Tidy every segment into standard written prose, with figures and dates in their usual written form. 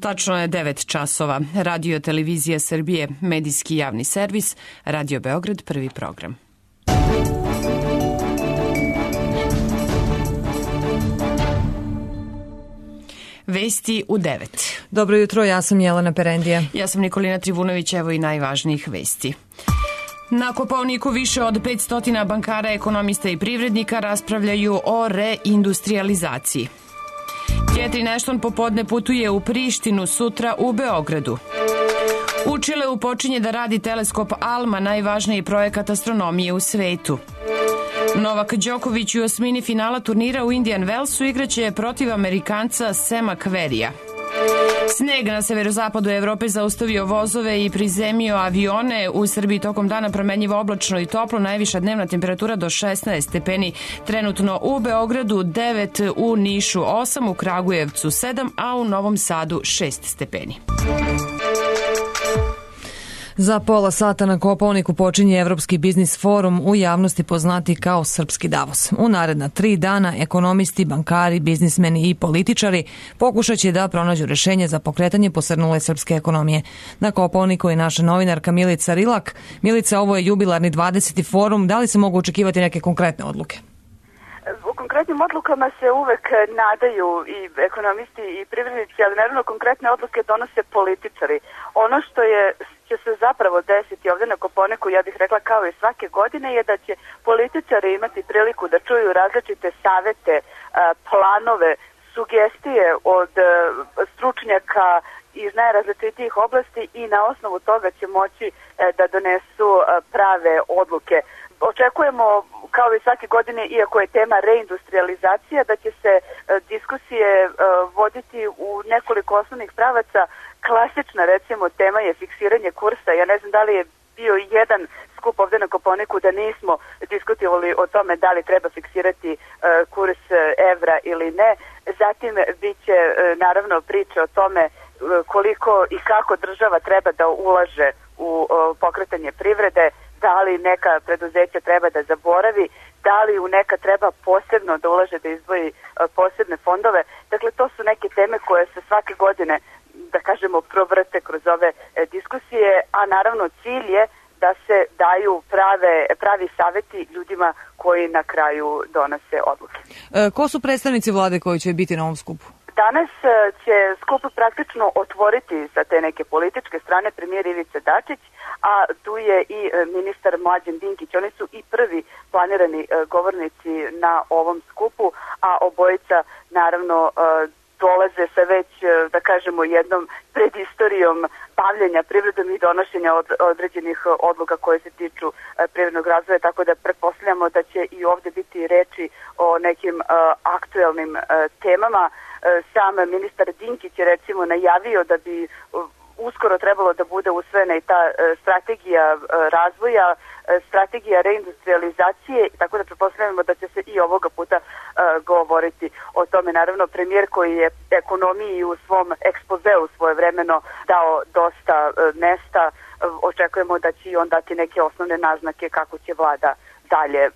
Tačno je 9 časova. Radio Televizija Srbije, medijski javni servis, Radio Beograd, prvi program. Vesti u 9. Dobro jutro, ja sam Jelena Perendija. Ja sam Nikolina Trivunović, evo i najvažnijih vesti. Na Kopaoniku više od 500 bankara, ekonomista i privrednika raspravljaju o reindustrializaciji. Catherine Ashton popodne putuje u Prištinu, sutra u Beogradu. U Čileu počinje da radi teleskop ALMA, najvažniji projekat astronomije u svetu. Novak Đoković u osmini finala turnira u Indian Wellsu igraće protiv Amerikanca Sema Querrya. Sneg na severozapadu Evrope zaustavio vozove i prizemio avione. U Srbiji tokom dana promenljivo oblačno i toplo, najviša dnevna temperatura do 16 stepeni. Trenutno u Beogradu 9, u Nišu 8, u Kragujevcu 7, a u Novom Sadu 6 stepeni. Za pola sata na Kopaoniku počinje Evropski biznis forum, u javnosti poznati kao Srpski Davos. U naredna 3 dana ekonomisti, bankari, biznismeni i političari pokušat će da pronađu rešenje za pokretanje posrnule srpske ekonomije. Na Kopaoniku je naša novinarka Milica Rilak. Milica, ovo je jubilarni 20. forum. Da li se mogu očekivati neke konkretne odluke? U konkretnim odlukama se uvek nadaju i ekonomisti i privrednici, ali naravno konkretne odluke donose političari. Ono što će se zapravo desiti ovde na Kopaoniku, ja bih rekla kao i svake godine, je da će političari imati priliku da čuju različite savete, planove, sugestije od stručnjaka iz najrazličitijih oblasti i na osnovu toga će moći da donesu prave odluke. Očekujemo, kao i svake godine, iako je tema reindustrializacija, da će se diskusije voditi u nekoliko osnovnih pravaca. Klasična, recimo, tema je fiksiranje kursa. Ja ne znam da li je bio jedan skup ovde na Kopaoniku da nismo diskutovali o tome da li treba fiksirati kurs evra ili ne. Zatim biće naravno priče o tome koliko i kako država treba da ulaže u pokretanje privrede, da li neka preduzeća treba da zaboravi, da li u neka treba posebno da ulaže, da izdvoji posebne fondove. Dakle, to su neke teme koje se svake godine, da kažemo, provrte kroz ove diskusije, a naravno cilj je da se daju pravi saveti ljudima koji na kraju donose odluke. Ko su predstavnici vlade koji će biti na ovom skupu? Danas će skup praktično otvoriti sa te neke političke strane premijer Ivica Dačić, a tu je i ministar Mlađan Dinkić. Oni su i prvi planirani govornici na ovom skupu, a obojica naravno dolaze sa već, da kažemo, jednom predistorijom bavljenja privredom i donošenja određenih odluka koje se tiču privrednog razvoja, tako da pretpostavljamo da će i ovde biti reči o nekim aktuelnim temama. Sam ministar Dinkić je recimo najavio da bi uskoro trebalo da bude usvojena i ta strategija razvoja, strategija reindustrializacije, tako da pretpostavljamo da će se i ovoga puta govoriti o tome. Naravno, premijer koji je ekonomiji u svom ekspozeu svojevremeno dao dosta mesta, očekujemo da će i on dati neke osnovne naznake kako će vlada dalje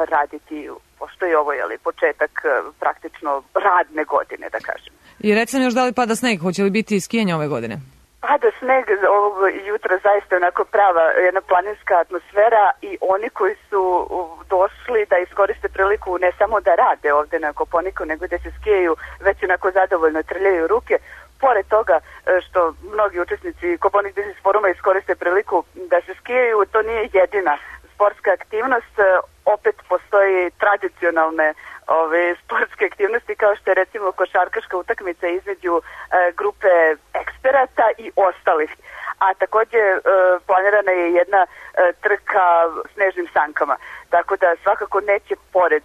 raditi, pošto je ovo početak praktično radne godine, da kažem. I recimo još da li pada sneg, hoće li biti skijanje ove godine? Pada sneg ovo jutro, zaista onako prava jedna planinska atmosfera i oni koji su došli da iskoriste priliku ne samo da rade ovde na Kopaoniku, nego da se skijaju, već onako zadovoljno trljaju ruke. Pored toga što mnogi učesnici Kopaonik biznis foruma iskoriste priliku da se skijaju, to nije jedina sportska aktivnost. Opet postoji tradicionalne sportske aktivnosti, kao što je recimo košarkaška utakmica između grupe eksperata i ostalih. A takođe planirana je jedna trka snežnim sankama. Tako da svakako neće, pored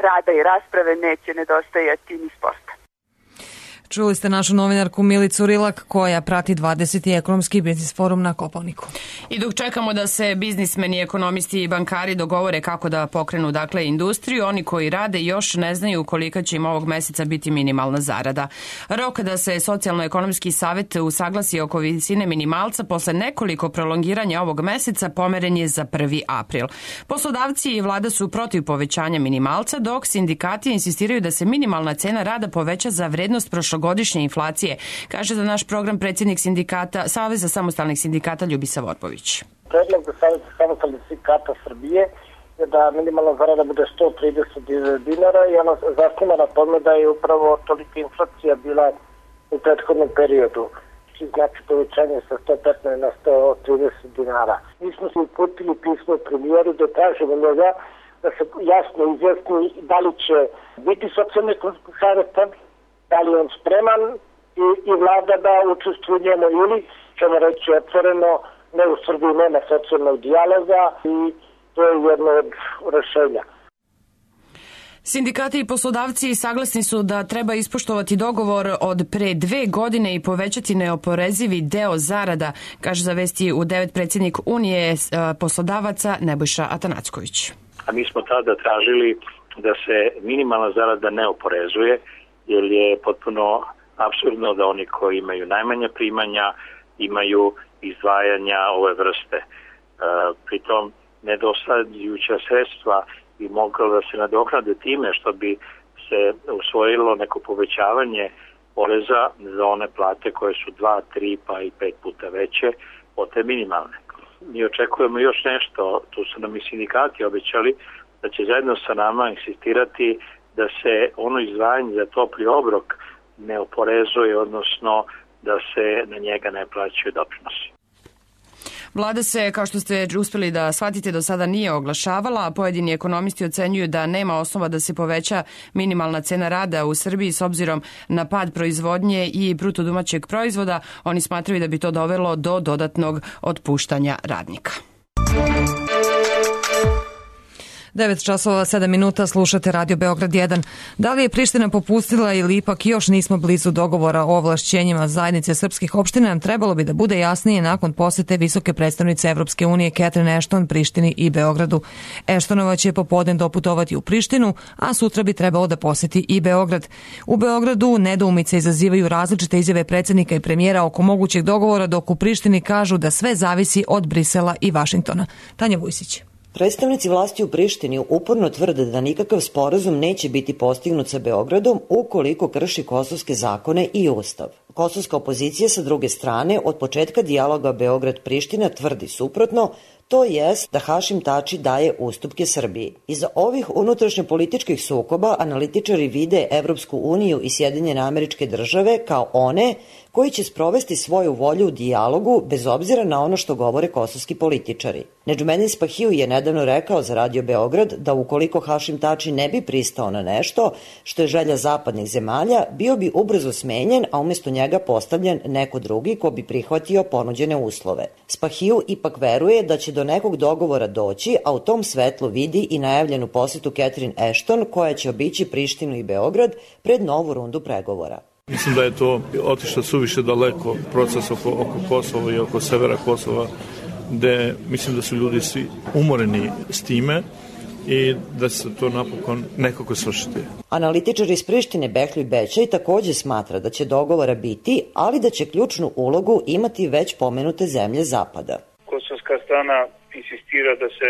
rada i rasprave, neće nedostajati ni sporta. Čuli ste našu novinarku Milicu Rilak koja prati 20. ekonomski biznis forum na Kopaoniku. I dok čekamo da se biznismeni, ekonomisti i bankari dogovore kako da pokrenu industriju, oni koji rade još ne znaju kolika će im ovog meseca biti minimalna zarada. Rok da se Socijalno-ekonomski savet usaglasi oko visine minimalca posle nekoliko prolongiranja ovog meseca pomeren je za 1. april. Poslodavci i vlada su protiv povećanja minimalca, dok sindikati insistiraju da se minimalna cena rada poveća za vrednost prošlogodišnjeg godišnje inflacije, kaže za naš program predsjednik sindikata Saveza samostalnih sindikata Ljubisa Vorpović. Predlog za Saveza samostalnih sindikata Srbije je da minimalna zarada bude 130 dinara i ona zasniva na tome da je upravo tolika inflacija bila u prethodnom periodu. Znači povećanje sa 115 na 130 dinara. Mi smo se uputili pismo premijeru da tražimo njega da se jasno izjasni da li će biti socijalni savetan, da li je on spreman i vlada da učestvuje u njemu ili ćemo reći otvoreno, ne, u Srbiji nema socijalnog dijaloga i to je jedno od rešenja. Sindikati i poslodavci saglasni su da treba ispoštovati dogovor od pre 2 godine i povećati neoporezivi deo zarada, kaže za Vesti u 9 predsjednik Unije poslodavaca Nebojša Atanacković. A mi smo tada tražili da se minimalna zarada ne oporezuje, jer je potpuno apsurdno da oni koji imaju najmanja primanja imaju izdvajanja ove vrste. Pritom nedostajuća sredstva bi moglo da se nadoknade time što bi se usvojilo neko povećavanje poreza za one plate koje su 2, 3 pa i 5 puta veće od te minimalne. Mi očekujemo još nešto, tu su nam i sindikati obećali da će zajedno sa nama insistirati da se ono izdvajanje za topli obrok ne oporezuje, odnosno da se na njega ne plaćaju doprinosi. Vlada se, kao što ste uspjeli da shvatite, do sada nije oglašavala, a pojedini ekonomisti ocenjuju da nema osnova da se poveća minimalna cena rada u Srbiji s obzirom na pad proizvodnje i bruto domaćeg proizvoda. Oni smatraju da bi to dovelo do dodatnog otpuštanja radnika. 9:07 slušate Radio Beograd 1. Da li je Priština popustila ili ipak još nismo blizu dogovora o ovlašćenjima zajednice srpskih opština, trebalo bi da bude jasnije nakon posete visoke predstavnice Evropske unije Catherine Ashton Prištini i Beogradu. Ashtonova će popodne doputovati u Prištinu, a sutra bi trebalo da poseti i Beograd. U Beogradu nedoumice izazivaju različite izjave predsjednika i premijera oko mogućeg dogovora, dok u Prištini kažu da sve zavisi od Brisela i Vašingtona. Tanja Vujsić. Predstavnici vlasti u Prištini uporno tvrde da nikakav sporazum neće biti postignut sa Beogradom ukoliko krši kosovske zakone i ustav. Kosovska opozicija sa druge strane od početka dijaloga Beograd-Priština tvrdi suprotno, to jest da Hašim Tači daje ustupke Srbiji. Iza ovih unutrašnjopolitičkih sukoba analitičari vide Evropsku uniju i Sjedinjene Američke Države kao one koji će sprovesti svoju volju u dijalogu bez obzira na ono što govore kosovski političari. Nedžumedin Spahiju je nedavno rekao za Radio Beograd da ukoliko Hašim Tači ne bi pristao na nešto što je želja zapadnih zemalja, bio bi ubrzo smenjen, a umjesto njega postavljen neko drugi ko bi prihvatio ponuđene uslove. Spahiju ipak veruje da će do nekog dogovora doći, a u tom svetlu vidi i najavljenu posjetu Catherine Ashton koja će obići Prištinu i Beograd pred novu rundu pregovora. Mislim da je to otišlo suviše daleko proces oko Kosova i oko severa Kosova, gde mislim da su ljudi svi umoreni s time i da će se to napokon nekako svršiti. Analitičar iz Prištine Behljuj Bećaj također smatra da će dogovora biti, ali da će ključnu ulogu imati već pomenute zemlje Zapada. Kosovska strana insistira da se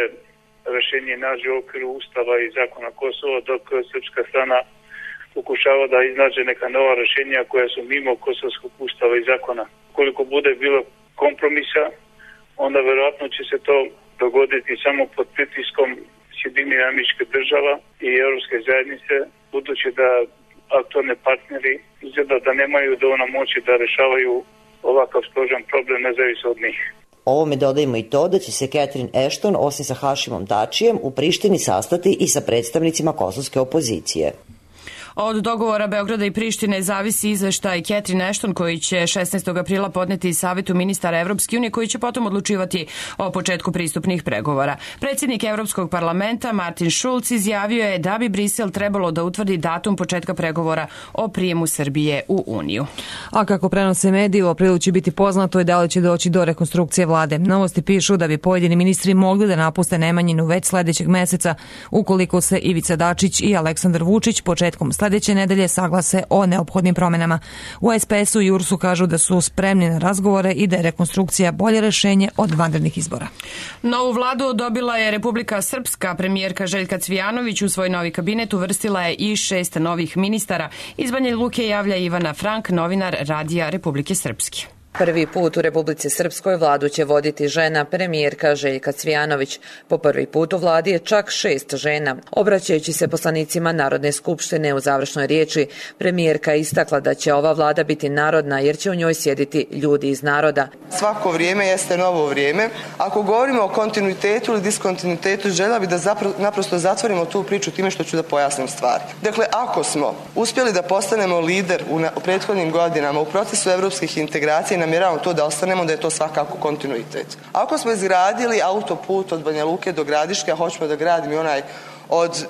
rešenje nađe u okviru Ustava i zakona Kosova, dok srpska strana pokušava da iznađe neka nova rešenja koja su mimo kosovskog ustava i zakona. Koliko bude bilo kompromisa, onda verovatno će se to dogoditi samo pod pritiskom Sjedinjenih Američkih Država i Evropske zajednice, budući da aktualni partneri izgleda da nemaju dovoljno moći da rešavaju ovakav složen problem nezavisno od njih. Ovome dodajemo i to da će se Catherine Ashton, osim sa Hašimom Tačijem, u Prištini sastati i sa predstavnicima kosovske opozicije. Od dogovora Beograda i Prištine zavisi izveštaj Catherine Ashton koji će 16. aprila podneti Savetu ministara Evropske unije koji će potom odlučivati o početku pristupnih pregovora. Predsjednik Evropskog parlamenta Martin Schulz izjavio je da bi Brisel trebalo da utvrdi datum početka pregovora o prijemu Srbije u Uniju. A kako prenose mediji, u aprilu će biti poznato i da li će doći do rekonstrukcije vlade. Novosti pišu da bi pojedini ministri mogli da napuste Nemanjinu već sledećeg meseca ukoliko se Ivica Dačić i Aleksandar Vučić početkom sledeće nedelje saglase o neophodnim promenama. U SPS-u i URS-u kažu da su spremni na razgovore i da je rekonstrukcija bolje rešenje od vanrednih izbora. Novu vladu dobila je Republika Srpska. Premijerka Željka Cvijanović u svoj novi kabinet uvrstila je i 6 novih ministara. Iz Banja Luke javlja Ivana Frank, novinar Radija Republike Srpske. Prvi put u Republici Srpskoj vladu će voditi žena, premijerka Željka Cvijanović. Po prvi put u vladi je čak 6 žena. Obraćajući se poslanicima Narodne skupštine u završnoj riječi, premijerka je istakla da će ova vlada biti narodna jer će u njoj sjediti ljudi iz naroda. Svako vrijeme jeste novo vrijeme. Ako govorimo o kontinuitetu ili diskontinuitetu, željela bi da naprosto zatvorimo tu priču time što ću da pojasnim stvari. Dakle, ako smo uspjeli da postanemo lider u prethodnim godinama u procesu evropskih integracija, namjeravamo to da ostanemo, da je to svakako kontinuitet. Ako smo izgradili autoput od Banja Luke do Gradiške, a hoćemo da gradimo onaj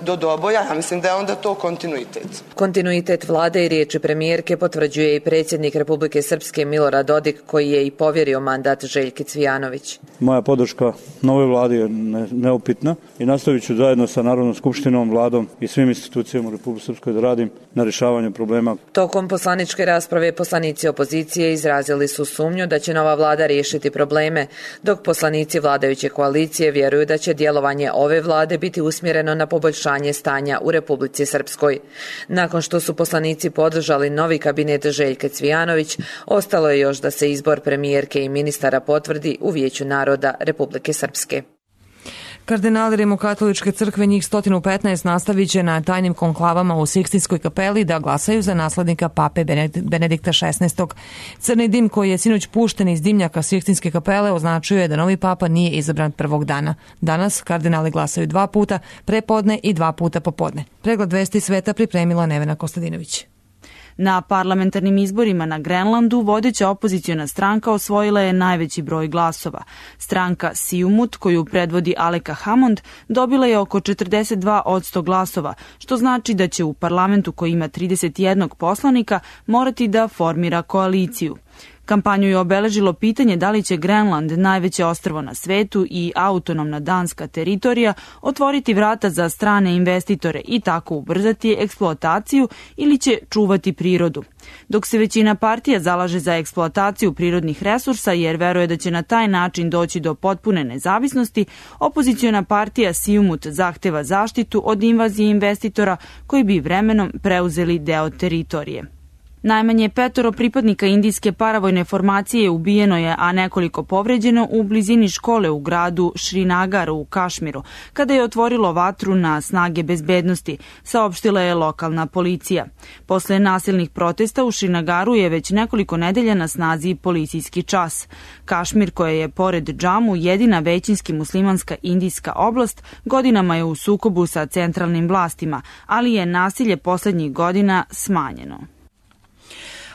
do Doboja, ja mislim da je onda to kontinuitet. Kontinuitet vlade i riječi premijerke potvrđuje i predsjednik Republike Srpske Milorad Dodik, koji je i povjerio mandat Željki Cvijanović. Moja podrška novoj vladi je neupitna i nastavit ću zajedno sa Narodnom skupštinom, vladom i svim institucijama u Republike Srpskoj da radim na rješavanju problema. Tokom poslaničke rasprave poslanici opozicije izrazili su sumnju da će nova vlada riješiti probleme, dok poslanici vladajuće koalicije vjeruju da će djelovanje ove vlade biti usmjereno na poboljšanje stanja u Republici Srpskoj. Nakon što su poslanici podržali novi kabinet Željke Cvijanović, ostalo je još da se izbor premijerke i ministara potvrdi u Vijeću naroda Republike Srpske. Kardinali Rimokatoličke crkve, njih 115, nastavit će na tajnim konklavama u Sikstinskoj kapeli da glasaju za naslednika pape Benedikta XVI. Crni dim koji je sinoć pušten iz dimnjaka Sikstinske kapele označuje da novi papa nije izabran prvog dana. Danas kardinali glasaju 2 puta prepodne i 2 puta popodne. Pregled vesti sveta pripremila Nevena Kostadinović. Na parlamentarnim izborima na Grenlandu vodeća opoziciona stranka osvojila je najveći broj glasova. Stranka Siumut, koju predvodi Aleka Hammond, dobila je oko 42% glasova, što znači da će u parlamentu koji ima 31 poslanika morati da formira koaliciju. Kampanju je obeležilo pitanje da li će Grenland, najveće ostrvo na svetu i autonomna danska teritorija, otvoriti vrata za strane investitore i tako ubrzati eksploataciju ili će čuvati prirodu. Dok se većina partija zalaže za eksploataciju prirodnih resursa jer veruje da će na taj način doći do potpune nezavisnosti, opoziciona partija Siumut zahteva zaštitu od invazije investitora koji bi vremenom preuzeli deo teritorije. Najmanje 5 pripadnika indijske paravojne formacije ubijeno je, a nekoliko povređeno u blizini škole u gradu Srinagar u Kašmiru, kada je otvorilo vatru na snage bezbednosti, saopštila je lokalna policija. Posle nasilnih protesta u Srinagaru je već nekoliko nedelja na snazi policijski čas. Kašmir, koja je pored Džamu jedina većinski muslimanska indijska oblast, godinama je u sukobu sa centralnim vlastima, ali je nasilje poslednjih godina smanjeno.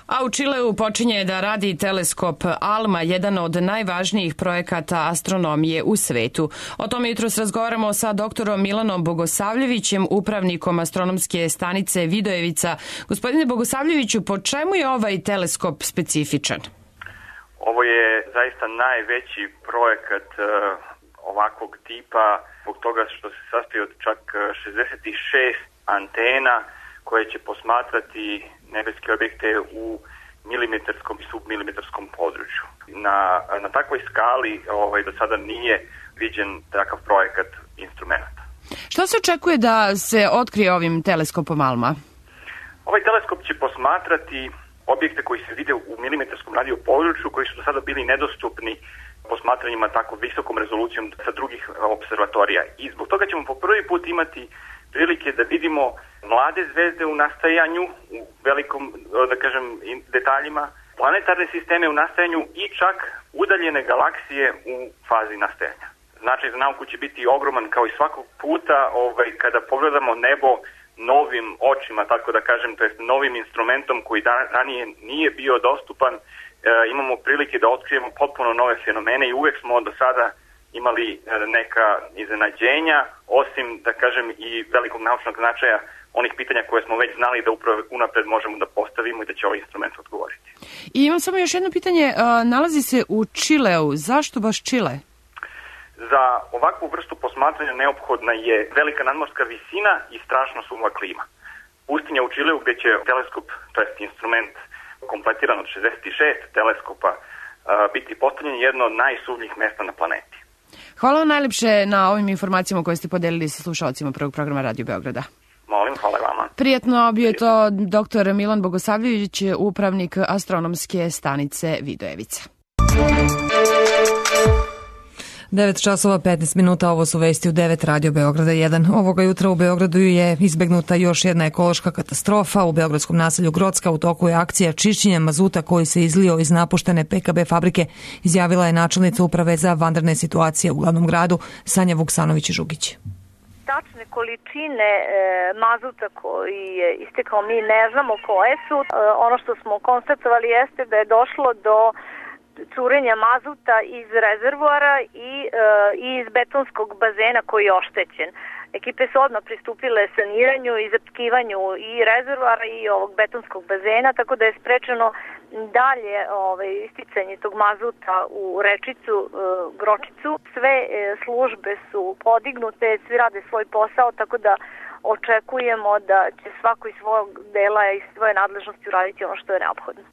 A u Čileu počinje da radi teleskop ALMA, jedan od najvažnijih projekata astronomije u svetu. O tome jutros razgovaramo sa doktorom Milanom Bogosavljevićem, upravnikom astronomske stanice Vidojevica. Gospodine Bogosavljeviću, po čemu je ovaj teleskop specifičan? Ovo je zaista najveći projekat ovakvog tipa, zbog toga što se sastoji od čak 66 antena koje će posmatrati nebeske objekte u milimetarskom i submilimetarskom području. Na takvoj skali do sada nije viđen takav projekat instrumenta. Što se očekuje da se otkrije ovim teleskopom ALMA? Ovaj teleskop će posmatrati objekte koji se vide u milimetarskom radio području, koji su do sada bili nedostupni posmatranjima tako visokom rezolucijom sa drugih observatorija. I zbog toga ćemo po prvi put imati prilike da vidimo mlade zvezde u nastajanju, u velikom, detaljima, planetarne sisteme u nastajanju i čak udaljene galaksije u fazi nastajanja. Značaj za nauku će biti ogroman kao i svakog puta kada pogledamo nebo novim očima, tako da kažem, to jest novim instrumentom koji ranije nije bio dostupan, imamo prilike da otkrijemo potpuno nove fenomene i uvek smo do sada imali neka iznenađenja, osim, da kažem, i velikog naučnog značaja onih pitanja koje smo već znali da upravo unapred možemo da postavimo i da će ovaj instrument odgovoriti. I imam samo još jedno pitanje, nalazi se u Čileu, zašto baš Čile? Za ovakvu vrstu posmatranja neophodna je velika nadmorska visina i strašno suva klima. pustinja u Čileu gdje će teleskop, to jest instrument kompletiran od 66 teleskopa, biti postavljen jedno od najsuvnjih mesta na planeti. Hvala vam najlepše na ovim informacijama koje ste podelili sa slušalcima prvog programa Radio Beograda. Molim, hvala vama. Prijetno, bio je to dr. Milan Bogosavljević, upravnik astronomske stanice Vidojevica. 9 časova 15 minuta, ovo su vesti u 9 Radio Beograda 1. Ovoga jutra u Beogradu je izbegnuta još jedna ekološka katastrofa. U beogradskom naselju Grocka u toku je akcija čišćenja mazuta koji se izlio iz napuštene PKB fabrike, izjavila je načelnica uprave za vanredne situacije u glavnom gradu Sanja Vuksanović-Žugić. Tačne količine mazuta koji je istekao mi ne znamo koje su. Ono što smo konstatovali jeste da je došlo do curenja mazuta iz rezervoara i iz betonskog bazena koji je oštećen. Ekipe su odmah pristupile saniranju i zaptkivanju i rezervoara i ovog betonskog bazena, tako da je sprečeno dalje isticanje tog mazuta u rečicu Gročicu. Sve službe su podignute, svi rade svoj posao, tako da očekujemo da će svako iz svog dela i svoje nadležnosti uraditi ono što je neophodno.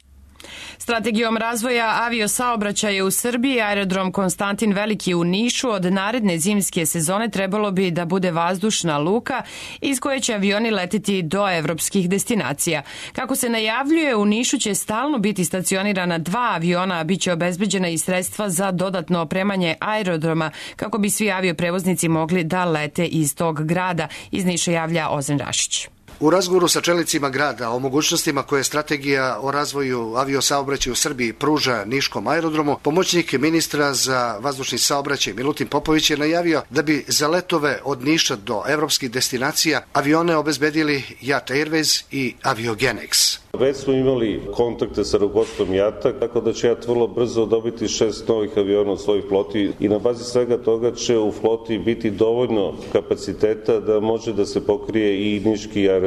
Strategijom razvoja aviosaobraćaja u Srbiji aerodrom Konstantin Veliki u Nišu od naredne zimske sezone trebalo bi da bude vazdušna luka iz koje će avioni leteti do evropskih destinacija. Kako se najavljuje, u Nišu će stalno biti stacionirana 2 aviona, a bit će obezbeđena i sredstva za dodatno opremanje aerodroma kako bi svi avioprevoznici mogli da lete iz tog grada. Iz Niša javlja Ozren Rašić. U razgovoru sa čelnicima grada o mogućnostima koje strategija o razvoju aviosaobraćaja u Srbiji pruža Niškom aerodromu, pomoćnik ministra za vazdušni saobraćaj Milutin Popović je najavio da bi za letove od Niša do evropskih destinacija avione obezbedili JAT Airways i Aviogenex. Već smo imali kontakte sa rukovodstvom JAT-a, tako da će JAT vrlo brzo dobiti 6 novih aviona u svojoj floti i na bazi svega toga će u floti biti dovoljno kapaciteta da može da se pokrije i Niški aerodrom.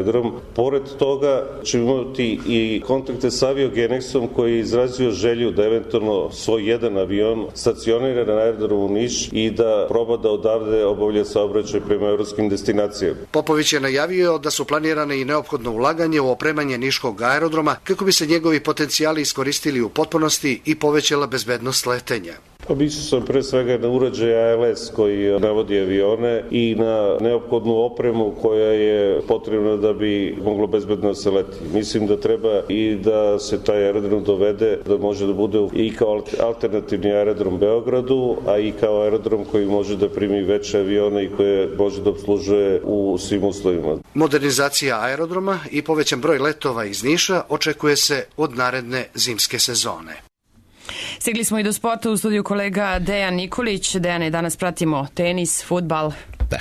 Pored toga ćemo imati i kontakte sa Aviogenexom koji je izrazio želju da eventualno svoj jedan avion stacionira na aerodromu Niš i da proba da odavde obavlja saobraćaj prema evropskim destinacijama. Popović je najavio da su planirane i neophodno ulaganje u opremanje Niškog aerodroma kako bi se njegovi potencijali iskoristili u potpunosti i povećala bezbednost letenja. Mislio sam pre svega na uređaj ALS koji navodi avione i na neophodnu opremu koja je potrebna da bi moglo bezbedno se leti. Mislim da treba i da se taj aerodrom dovede da može da bude i kao alternativni aerodrom Beogradu, a i kao aerodrom koji može da primi veće avione i koje može da obslužuje u svim uslovima. Modernizacija aerodroma i povećan broj letova iz Niša očekuje se od naredne zimske sezone. Stigli smo i do sporta, u studiju kolega Dejan Nikolić. Dejane, danas pratimo tenis, fudbal. Da.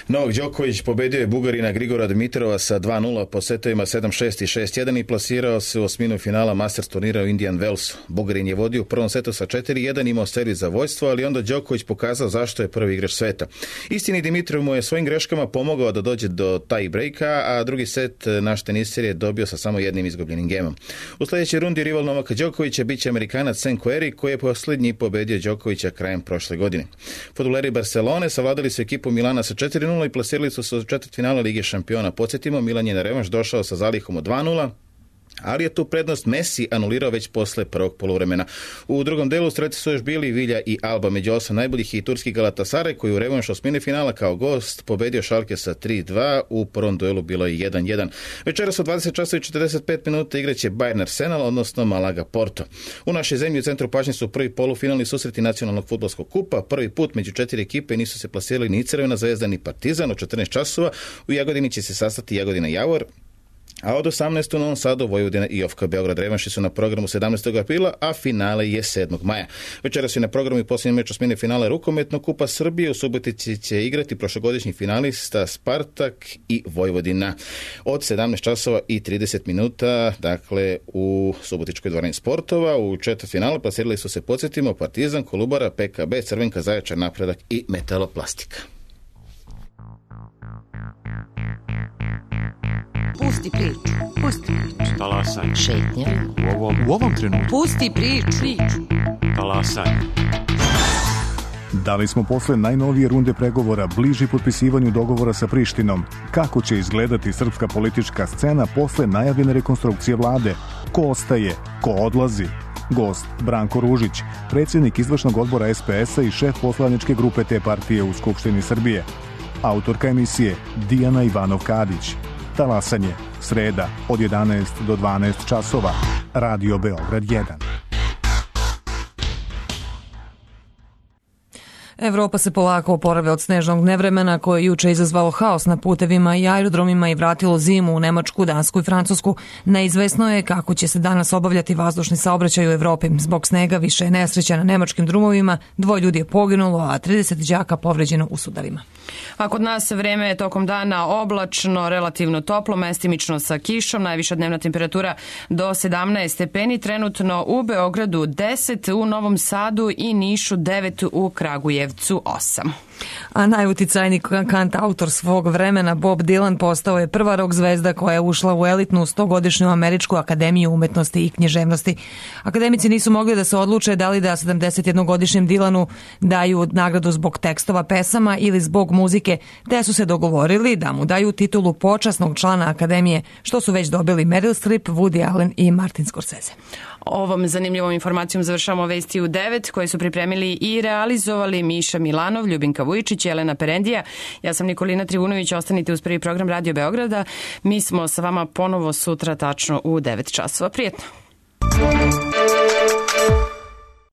Novak Đoković pobedio je Bugarina Grigora Dimitrova sa 2-0 po setovima 7-6 i 6-1 i plasirao se u osminu finala Masters turnira u Indian Wellsu. Bugarin je vodio u prvom setu sa 4-1, imao servis za vojstvo, ali onda Đoković pokazao zašto je prvi igrač sveta. Istini Dimitrov mu je svojim greškama pomogao da dođe do tie breaka, a drugi set naš teniser je dobio sa samo jednim izgubljenim gemom. U sljedećoj rundi rival Novaka Đokovića biće Amerikanac Sen Querrey, koji je posljednji pobedio Đokovića krajem prošle godine. Fudbaleri Barcelone savladali su ekipu Milana sa 4-0 i plasirali su se u četvrtfinala Lige šampiona. Podsjetimo, Milan je na revanš došao sa zalihom od 2-0, ali je tu prednost Messi anulirao već posle prvog poluvremena. U drugom delu strelci su još bili Vilja i Alba. Među 8 najboljih i turski Galatasaray, koji u revanšu osmine finala kao gost pobedio Schalke sa 3-2. U prvom duelu bilo je 1-1. Večeras u 20 časova i 45 minuta igraće Bayern Arsenal, odnosno Malaga Porto. U našoj zemlji u centru pažnje su prvi polufinalni susreti nacionalnog fudbalskog kupa. Prvi put među 4 ekipe nisu se plasirali ni Crvena Zvezda ni Partizan. U 14 časova u Jagodini će se sastati Jagodina Javor, a od 18. u Novom Sadu Vojvodina i OFK Beograd. Revanši su na programu 17. aprila, a finale je 7. maja. Večeras je na programu i posljednji meč osmine finale rukometnog kupa Srbije. U Subotici će igrati prošlogodišnji finalista Spartak i Vojvodina. Od 17 časova i 30 minuta, dakle, u Subotičkoj dvorani sportova. U četvrtfinalu plasirali su se, podsjetimo, Partizan, Kolubara, PKB, Crvenka, Zaječar, Napredak i Metaloplastika. Pusti priču. Pusti priču. Talasaj. Šetnja. U ovom trenutku. Pusti priču. Talasaj. Da li smo posle najnovije runde pregovora bliži potpisivanju dogovora sa Prištinom? Kako će izgledati srpska politička scena posle najavljene rekonstrukcije vlade? Ko ostaje? Ko odlazi? Gost Branko Ružić, predsjednik izvršnog odbora SPS-a i šef poslaničke grupe te partije u Skupštini Srbije. Autorka emisije Dijana Ivanov-Kadić. Talasanje, sreda od 11 do 12 časova. Radio Beograd 1. Evropa se polako oporavlja od snežnog nevremena koje je juče izazvalo haos na putevima i aerodromima i vratilo zimu u Nemačku, Dansku i Francusku. Neizvesno je kako će se danas obavljati vazdušni saobraćaj u Evropi. Zbog snega više je nesreća na nemačkim drumovima, 2 ljudi je poginulo, a 30 đaka povređeno u sudarima. A kod nas vreme je tokom dana oblačno, relativno toplo, mestimično sa kišom, najviša dnevna temperatura do 17 stepeni, trenutno u Beogradu 10, u Novom Sadu i Nišu 9, u Kragujevcu 8. A najuticajniji kantautor svog vremena Bob Dylan postao je prva rock zvezda koja je ušla u elitnu 100-godišnju Američku akademiju umetnosti i književnosti. Akademici nisu mogli da se odluče da li da 71-godišnjem Dylanu daju nagradu zbog tekstova pesama ili zbog muzike, te su se dogovorili da mu daju titulu počasnog člana akademije, što su već dobili Meryl Streep, Woody Allen i Martin Scorsese. Ovom zanimljivom informacijom završavamo vesti u 9 koje su pripremili i realizovali Miša Milanov, Ljubinka Vujičić, Jelena Perendija. Ja sam Nikolina Trivunović, ostanite uz prvi program Radio Beograda. Mi smo sa vama ponovo sutra tačno u 9 časova. Prijetno!